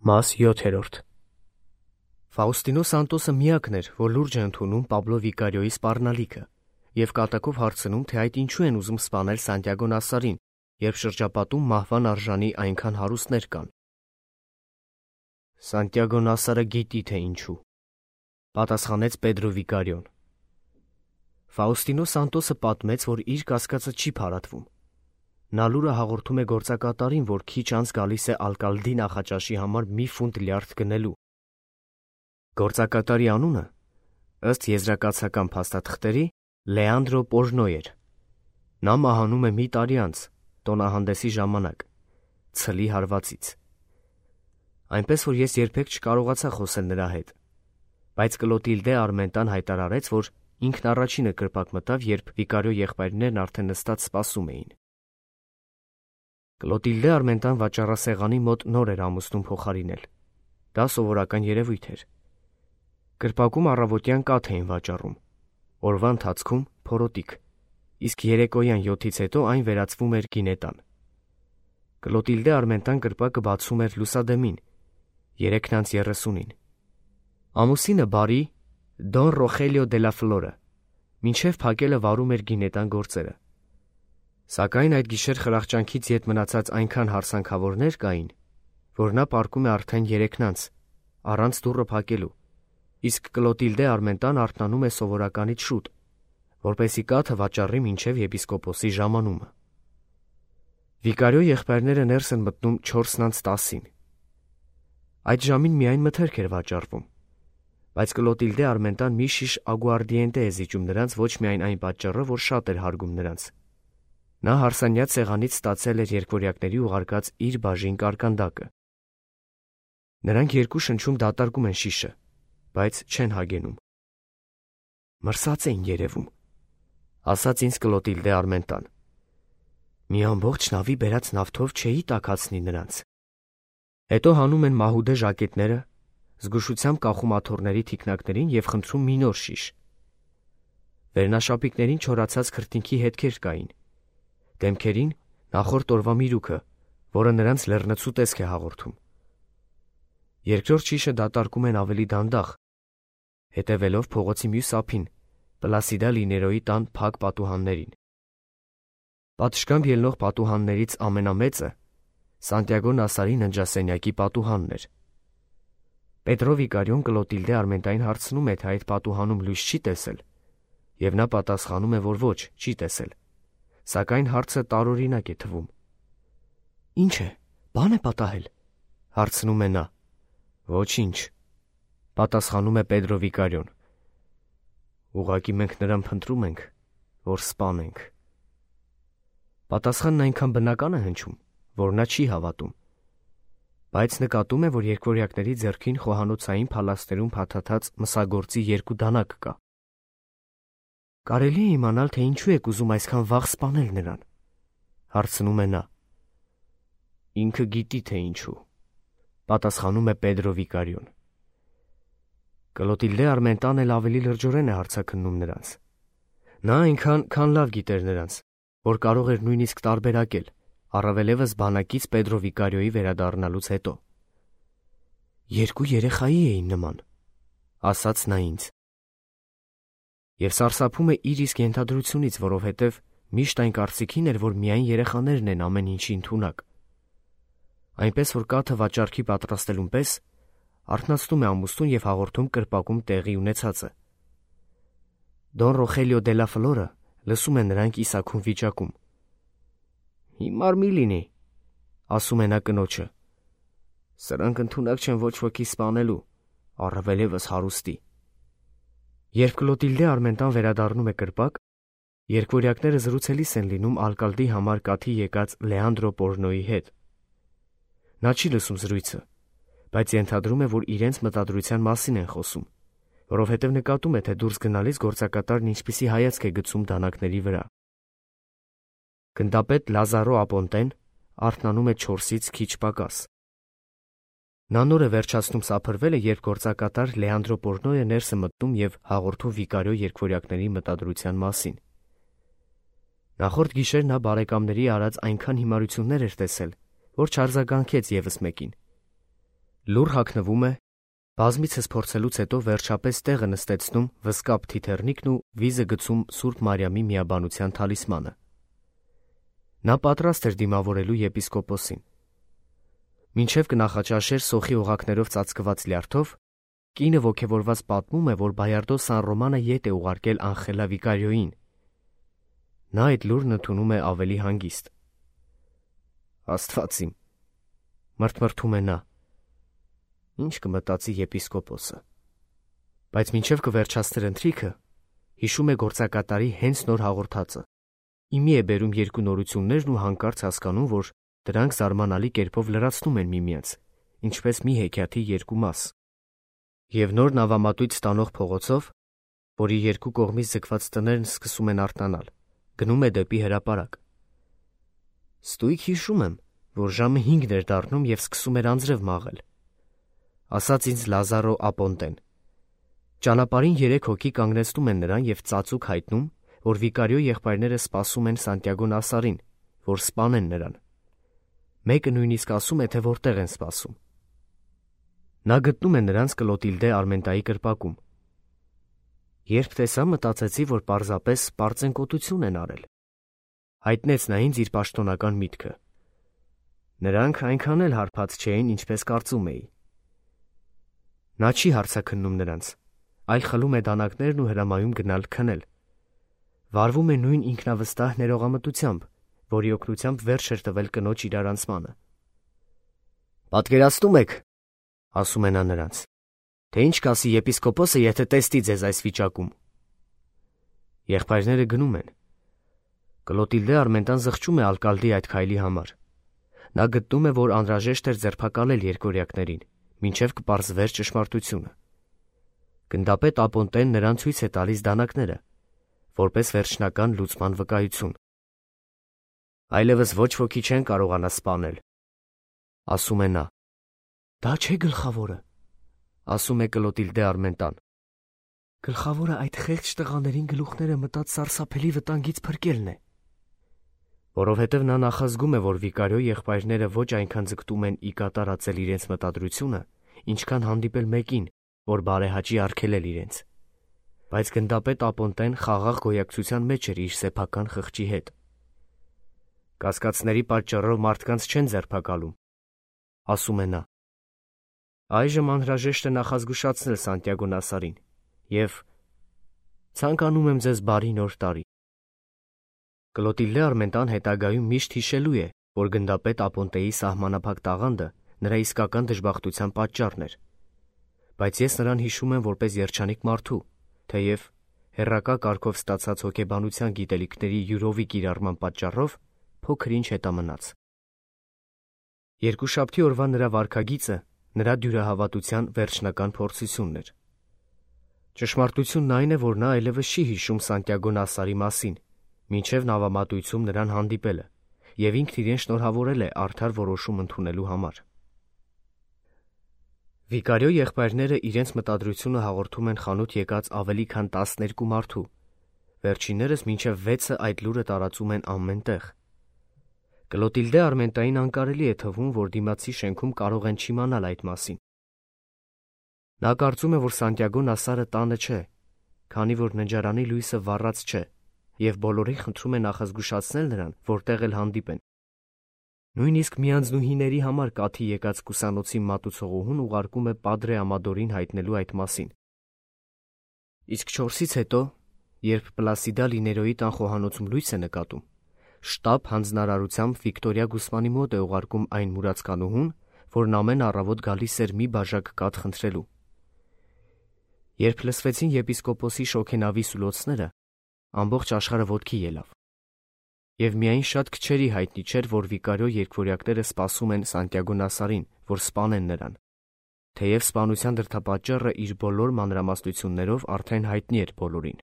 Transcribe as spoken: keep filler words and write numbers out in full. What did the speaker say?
Մաս յոթերորդ Ֆաուստինո Սանտոսը միակն էր, որ լուրջ է ընդունում Պաբլո Վիկարիոյի սպառնալիքը և կատակով հարցնում, թե այդ ինչու են ուզում սպանել Սանտիագո Նասարին, երբ շրջապատում մահվան արժանի այնքան հարուստներ կան։ Սանտիագո Նասարը գիտի, թե ինչու, պատասխանեց Պեդրո Վիկարիոն։ Ֆաուստինո Սանտոսը պատմեց, որ իր կասկածը չի փարատվում։ Նա լուրը հաղորդում է գործակատարին, որ քիչ անց գալիս է Ալկալդի նախաճաշի համար մի ֆունտ լյարդ գնելու։ Գործակատարի անունը, ըստ եզրակացական փաստաթղթերի, Լեանդրո Պոժնո էր։ Նա մահանում է մի տարի անց, տոնահանդեսի ժամանակ, ցլի հարվածից։ Այնպես որ ես երբեք չկարողացա խոսել նրա հետ, բայց Կլոտիլդե Արմենտան հայտարարեց, որ ինքն առաջինը կրպակ մտավ, երբ Վիկարիո եղբայրներն արդեն նստած սպասում էին։ Կլոտիլդե Արմենտան վաճառասեղանի մոտ նոր էր ամուսնուն փոխարինել։ Դա սովորական երևույթ էր։ Կրպակում առավոտյան կաթ էին վաճառում, օրվա ընթացքում փորոտիկ, իսկ երեկոյան յոթից հետո այն վերածվում էր գինետան։ Կլոտիլդե Արմենտան կրպակը բացում էր լուսադեմին, երեքն անց երեսունին։ Ամուսինը բարի Դոն Ռոխելիո դե լա Ֆլորը մինչև փակելը վարում էր գինետան գործերը։ Սակայն այդ գիշեր խրախճանքից ետ մնացած այնքան հարսանքավորներ կային, որ նա պառկում է արդեն երեքն անց, առանց դուռը փակելու, իսկ Կլոտիլդե Արմենտան արթնանում է սովորականից շուտ, որպեսզի կաթը վաճառի մինչև եպիսկոպոսի ժամանումը։ Վիկարիո եղբայրները ներս են մտնում չորսն անց տասին։ Այդ ժամին միայն մթերք էր վաճառվում, բայց Կլոտիլդե Արմենտան մի շիշ ագուարդիենտե է զիջում նրանց ոչ միայն այն պատճառով, որ շատ էր հարգում նրանց։ Նա հարսանյաց սեղանից ստացել էր երկվորյակների ուղարկած իր բաժին կարկանդակը։ Նրանք երկու շնչում դատարկում են շիշը, բայց չեն հագենում։ Մրսած էին երևում, ասաց ինձ Կլոտիլդե Արմենտան։ Մի ամբողջ նավի բերած նավթով չէի տաքացնի նրանց։ Հետո հանում են մահուդե ժակետները, զգուշությամբ կախում աթոռների թիկնակներին և խնդրում մի նոր շիշ։ Վերնաշապիկներին չորացած քրտինքի հետքեր կային։ Դեմքերին նախորդ օրվա միրուքը, որը նրանց լեռնցու տեսք է հաղորդում։ Երկրորդ շիշը դատարկում են ավելի դանդաղ, հետևելով փողոցի մյուս ափին, Պլասիդա Լիներոյի տան փակ պատուհաններին։ Պատշգամբ ելնող պատուհաններից ամենամեծը Սանտիագո Նասարի ննջասենյակի պատուհանն էր։ Պետրո Վիկարիոն Կլոտիլդե Արմենտային հարցնում է, թե այդ պատուհանում լույս չի տեսել, և նա պատասխանում է, որ ոչ, չի տեսել, սակայն հարցը տարօրինակ է թվում։ Ինչ է, բան է պատահել, հարցնում է նա։ Ոչինչ, պատասխանում է Պետրո Վիկարիոն։ Ուղղակի մենք նրան փնտրում ենք, որ սպանենք։ Պատասխանն այնքան բնական է հնչում, որ նա չի հավատում, բայց նկատում է, որ երկվորյակների ձեռքին խոհանոցային փալաստերում փաթաթած մսագործի երկու դանակ կա։ Կարելի է իմանալ, թե ինչու եք ուզում այսքան վաղ սպանել նրան, հարցնում է նա։ Ինքը գիտի, թե ինչու, պատասխանում է Պետրո Վիկարիոն։ Կլոտիլդե Արմենտան էլ ավելի լրջորեն է հարցաքննում նրանց։ Նա այնքան, քան լավ գիտեր նրանց, որ կարող էր նույնիսկ տարբերակել, առավելևս բանակից Պետրո Վիկարիոյի վերադառնալուց հետո։ Երկու երեխայի էին նման, ասաց նա ինձ։ Եվ սարսափում է իր իսկ ենթադրությունից, որովհետև միշտ այն կարծիքին էր, որ միայն երեխաներն են ամեն ինչի ընդունակ։ Այնպես որ կաթը վաճառքի պատրաստելուն պես արթնացնում է ամուսնուն և հաղորդում կրպակում տեղի ունեցածը։ Դոն Ռոխելիո դե լա Ֆլորը լսում է նրանք իսաքուն վիճակում։ Հիմար մի լինի, ասում է նա կնոջը։ Սրանք ընդունակ չեն ոչ ոքի սպանելու, առավելևս հարուստի։ Երբ Կլոտիլդե Արմենտան վերադառնում է կրպակ, երկվորյակները զրուցելիս են լինում Ալկալդի համար կաթի եկած Լեանդրո Պոժնոյի հետ։ Նա չի լսում զրույցը, բայց ենթադրում է, որ իրենց մտադրության մասին են խոսում, որովհետև նկատում է, թե դուրս գնալիս գործակատարն ինչպիսի հայացք է գցում դանակների վրա։ Գնդապետ Լազարո Ապոնտեն արթնանում է չորսից քիչ պակաս։ Նա նոր է վերջացնում սափրվելը, երբ գործակատար Լեանդրո Պոժնոյը ներս է մտնում և հաղորդում Վիկարիո երկվորյակների մտադրության մասին։ Նախորդ գիշեր նա բարեկամների արած այնքան հիմարություններ էր տեսել, որ չարձագանքեց ևս մեկին։ Լուռ հագնվում է, բազմիցս փորձելուց հետո վերջապես տեղը նստեցնում վսկապ թիթեռնիկն ու վիզը գցում Սուրբ Մարիամի միաբանության թալիսմանը։ Նա պատրաստ էր դիմավորելու եպիսկոպոսին։ Մինչև կնախաճաշեր սոխի օղակներով ծածկված լյարդով, կինը ոգևորված պատմում է, որ Բայարդո Սան Ռոմանը ետ է ուղարկել Անխելա վիկարիոյին։ Նա այդ լուրն ընդունում է ավելի հանգիստ։ Աստված իմ, մրթմրթում է նա։ Ինչ կմտածի եպիսկոպոսը։ Բայց մինչև կվերջացներ ընթրիքը, հիշում է գործակատարի հենց նոր հաղորդածը։ Իմի է բերում երկու նորություններն ու հանկարծ հասկանում, որ դրանք զարմանալի կերպով լրացնում են միմյանց, ինչպես մի հեքիաթի երկու մաս։ Եվ նոր նավամատույց ստանող փողոցով, որի երկու կողմից ձգված տներն սկսում են արթնանալ, գնում է դեպի հրապարակ։ Ստույգ հիշում եմ, որ ժամը հինգն էր դառնում և սկսում էր անձրև մաղել, ասաց ինձ Լազարո Ապոնտեն։ Ճանապարհին երեք հոգի կանգնեցնում են նրան և ծածուկ հայտնում, որ վիկարիո եղբայրները սպասում են Սանտիագո Նասարին, որ սպանեն նրան։ Մեկը նույնիսկ ասում է, թե որտեղ են սպասում։ Նա գտնում է նրանց Կլոտիլդե Արմենտայի կրպակում։ Երբ տեսա, մտածեցի, որ պարզապես պարծենկոտություն են արել։ Հայտնեց նա ինձ իր պաշտոնական միտքը։ Նրանք այնքան էլ հարբած չէին, ինչպես կարծում էի։ Նա չի հարցաքննում նրանց, այլ խլում է դանակներն ու հրամայում գնալ քնել։ Վարվում է նույն ինքնավստահ ներողամտությամբ, որի օգնությամբ վերջ էր տվել կնոջ իրարանցմանը։ Պատկերացնում եք, ասում է նա նրանց, թե ինչ կասի եպիսկոպոսը, եթե տեսնի ձեզ այս վիճակում։ Եղբայրները գնում են։ Կլոտիլդե Արմենտան զղջում է ալկալդի այդ քայլի համար։ Նա գտնում է, որ անհրաժեշտ էր ձերբակալել երկորյակներին, մինչև կպարզվեր ճշմարտությունը։ Գնդապետ Ապոնտեն նրան ցույց է տալիս դանակները, որպես վերջնական լուծման վկայություն։ Այլևս ոչ ոքի չեն կարողանա սպանել, ասում է նա։ Դա չէ գլխավորը, ասում է Կլոտիլդե Արմենտան։ Գլխավորը այդ խեղճ տղաներին գլուխները մտած սարսափելի վտանգից փրկելն է։ Որովհետև նա նախազգում է, որ վիկարիո եղբայրները ոչ այնքան ձգտում են ի կատարածել իրենց մտադրությունը, ինչքան հանդիպել մեկին, որ բարեհաճի արգելել իրենց։ Բայց գնդապետ Ապոնտեն խաղաղ գոյակցության մեջ էր իր սեփական խղճի հետ։ Կասկածների պատճառով մարդկանց չեն ձերբակալում, ասում է նա։ Այժմ անհրաժեշտ է նախազգուշացնել Սանտիագո Նասարին և ցանկանում եմ ձեզ բարի նոր տարի։ Կլոտիլդե Արմենտան հետագայում միշտ հիշելու է, որ գնդապետ Ապոնտեի սահմանափակ տաղանդը նրա իսկական դժբախտության պատճառն էր։ Բայց ես նրան հիշում եմ որպես երջանիկ մարդու, թեև հեռակա կարգով ստացած հոգեբանության գիտելիքների յուրովի կիրառման պատճառով փոքր-ինչ հետամնաց։ Երկուշաբթի օրվա նրա վարքագիծը նրա դյուրահավատության վերջնական փորձությունն էր։ Ճշմարտությունն այն է, որ նա այլևս չի հիշում Սանտիագո Նասարի մասին, մինչև նավամատույցում նրան հանդիպելը, և ինքն իրեն շնորհավորել է արդար որոշում ընդունելու համար։ Վիկարիո եղբայրները իրենց մտադրությունը հաղորդում են խանութ եկած ավելի քան տասներկու մարդու, վերջիններս մինչև վեցը այդ լուրը տարածում են ամեն տեղ։ Կլոտիլդե Արմենտային անկարելի է թվում, որ դիմացի շենքում կարող են չիմանալ այդ մասին։ Նա կարծում է, որ Սանտիագո Նասարը տանը չէ, քանի որ ննջարանի լույսը վառած չէ, և բոլորին խնդրում է նախազգուշացնել նրան, որտեղ էլ հանդիպեն։ Նույնիսկ միանձնուհիների համար կաթի եկած կուսանոցի մատուցողուհուն ուղարկում է Պադրե Ամադորին հայտնելու այդ մասին։ Իսկ չորսից հետո, երբ Պլասիդա Լիներոյի տան խոհանոցում լույս է նկատում, շտապ հանձնարարությամբ Վիկտորիա Գուսմանի մոտ է ուղարկում այն մուրացկանուհուն, որն ամեն առավոտ գալիս էր մի բաժակ կաթ խնդրելու։ Երբ լսվեցին եպիսկոպոսի շոգենավի սուլոցները, ամբողջ աշխարհը ոտքի ելավ։ Եվ միայն շատ քչերի հայտնի չէր, որ վիկարիո երկվորյակները սպասում են Սանտիագո Նասարին, որ սպանեն նրան, թեև սպանության դրդապատճառը իր բոլոր մանրամասնություններով արդեն հայտնի էր բոլորին։